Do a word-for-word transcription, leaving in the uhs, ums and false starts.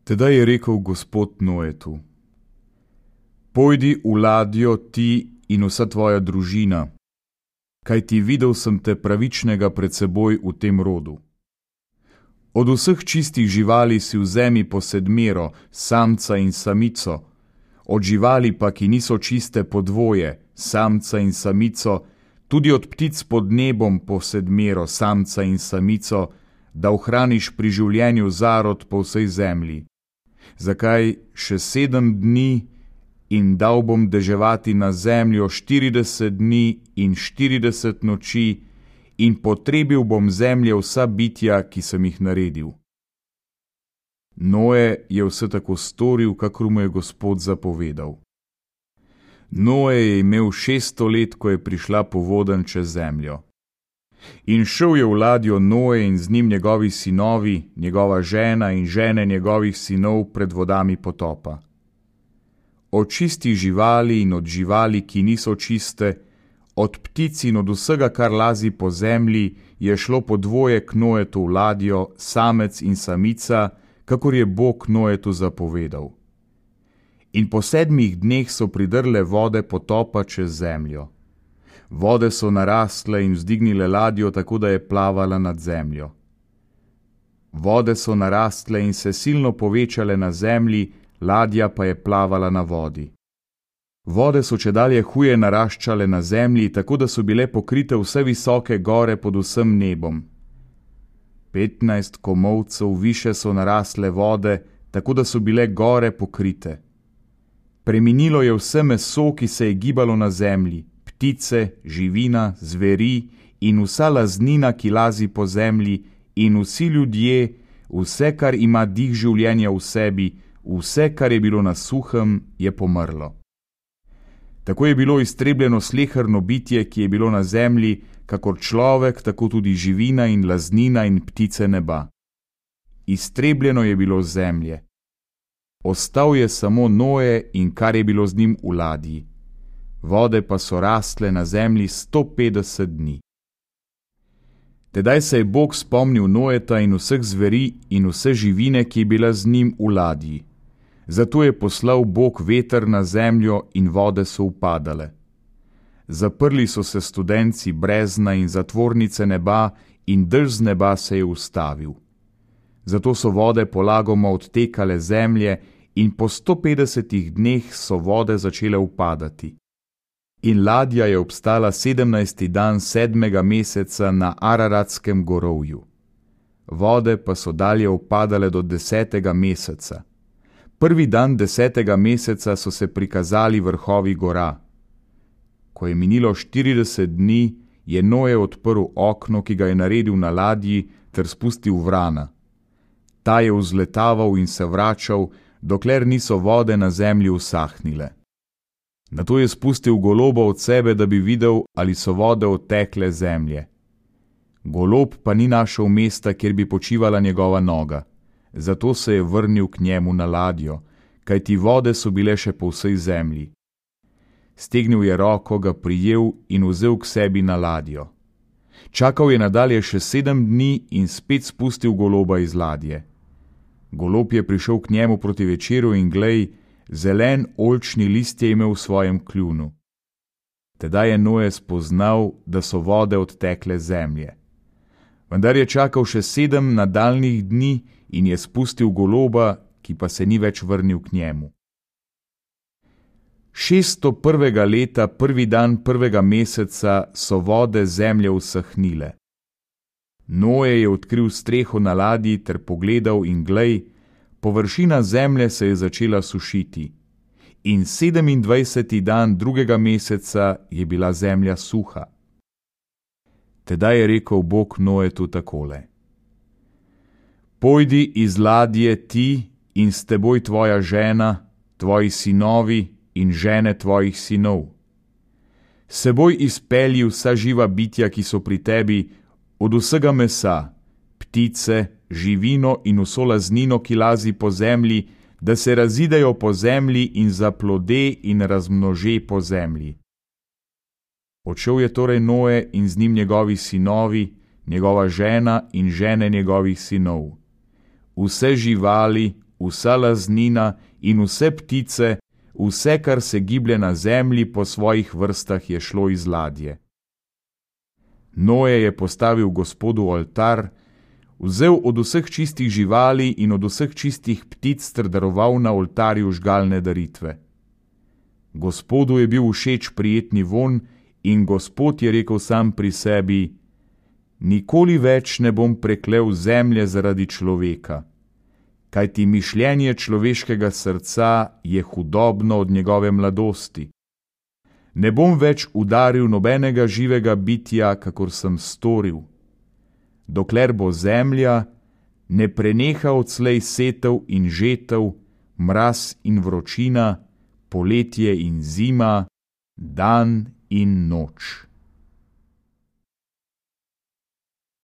Tedaj je rekel Gospod Noetu: Pojdi v ladjo ti in vsa tvoja družina, kajti videl sem te pravičnega pred seboj v tem rodu. Od vseh čistih živali si vzemi po sedmero, samca in samico, od živali pa, ki niso čiste, po dvoje, samca in samico, tudi od ptic pod nebom po sedmero, samca in samico, da ohraniš pri življenju zarod po vsej zemlji. Zakaj še sedem dni in dal bom deževati na zemljo štirideset dni in štirideset noči in potrebil bom zemlje vsa bitja, ki sem jih naredil. Noe je vse tako storil, kakor mu je Gospod zapovedal. Noe je imel šeststo let, ko je prišla povodenj čez zemljo. In šel je v ladjo Noe in z njim njegovi sinovi, njegova žena in žene njegovih sinov pred vodami potopa. Od čistih živali in od živali, ki niso čiste, od ptic in od vsega, kar lazi po zemlji, je šlo po dvoje k Noetu v ladjo, samec in samica, kakor je Bog Noetu zapovedal. In po sedmih dneh so pridrle vode potopa čez zemljo. Vode so narastle in vzdignile ladjo, tako da je plavala nad zemljo. Vode so narastle in se silno povečale na zemlji, ladja pa je plavala na vodi. Vode so čedalje huje naraščale na zemlji, tako da so bile pokrite vse visoke gore pod vsem nebom. Petnajst komolcev više so narasle vode, tako da so bile gore pokrite. Preminilo je vse meso, ki se je gibalo na zemlji, ptice, živina, zveri in vsa laznina, ki lazi po zemlji, in vsi ljudje, vse, kar ima dih življenja v sebi, vse, kar je bilo na suhem, je pomrlo. Tako je bilo iztrebljeno sleherno bitje, ki je bilo na zemlji, kakor človek, tako tudi živina in laznina in ptice neba. Iztrebljeno je bilo zemlje. Ostal je samo Noe in kar je bilo z njim v ladji. Vode pa so rastle na zemlji sto petdeset dni. Tedaj se je Bog spomnil Noeta in vseh zveri in vse živine, ki je bila z njim v ladji. Zato je poslal Bog veter na zemljo in vode so upadale. Zaprli so se studenci brezna in zatvornice neba in dež z neba se je ustavil. Zato so vode polagoma odtekale zemlje in po sto petdesetih dneh so vode začele upadati. In ladja je obstala sedemnajsti dan sedmega meseca na Araratskem gorovju. Vode pa so dalje upadale do desetega meseca. Prvi dan desetega meseca so se prikazali vrhovi gora. Ko je minilo štirideset dni, je Noe odprl okno, ki ga je naredil na ladji, ter spustil vrana. Ta je vzletaval in se vračal, dokler niso vode na zemlji usahnile. Nato je spustil goloba od sebe, da bi videl, ali so vode odtekle zemlje. Golob pa ni našel mesta, kjer bi počivala njegova noga. Zato se je vrnil k njemu na ladjo, kajti vode so bile še po vsej zemlji. Stegnil je roko, ga prijel in vzel k sebi na ladjo. Čakal je nadalje še sedem dni in spet spustil goloba iz ladje. Golob je prišel k njemu proti večeru in glej, zelen oljčni list je imel v svojem kljunu. Tedaj je Noe spoznal, da so vode odtekle zemlje. Vendar je čakal še sedem nadaljnjih dni in je spustil goloba, ki pa se ni več vrnil k njemu. Šeststo prvega leta, prvi dan prvega meseca, so vode zemlje usahnile. Noe je odkril streho na ladji ter pogledal in glej, površina zemlje se je začela sušiti. In sedemindvajseti dan drugega meseca je bila zemlja suha. Tedaj je rekel Bog Noetu takole: Pojdi iz ladje ti in s teboj tvoja žena, tvoji sinovi in žene tvojih sinov. S seboj izpelji vsa živa bitja, ki so pri tebi, od vsega mesa, ptice, živino in vso laznino, ki lazi po zemlji, da se razidejo po zemlji in zaplode in razmnože po zemlji. Odšel je torej Noe in z njim njegovi sinovi, njegova žena in žene njegovih sinov. Vse živali, vsa laznina in vse ptice, vse, kar se giblje na zemlji po svojih vrstah, je šlo iz ladje. Noe je postavil Gospodu oltar, vzel od vseh čistih živali in od vseh čistih ptic ter daroval na oltarju žgalne daritve. Gospodu je bil všeč prijetni vonj in Gospod je rekel sam pri sebi: Nikoli več ne bom preklel zemlje zaradi človeka, kajti mišljenje človeškega srca je hudobno od njegove mladosti. Ne bom več udaril nobenega živega bitja, kakor sem storil, dokler bo zemlja ne preneha odslej setev in žetev, mraz in vročina, poletje in zima, dan in noč.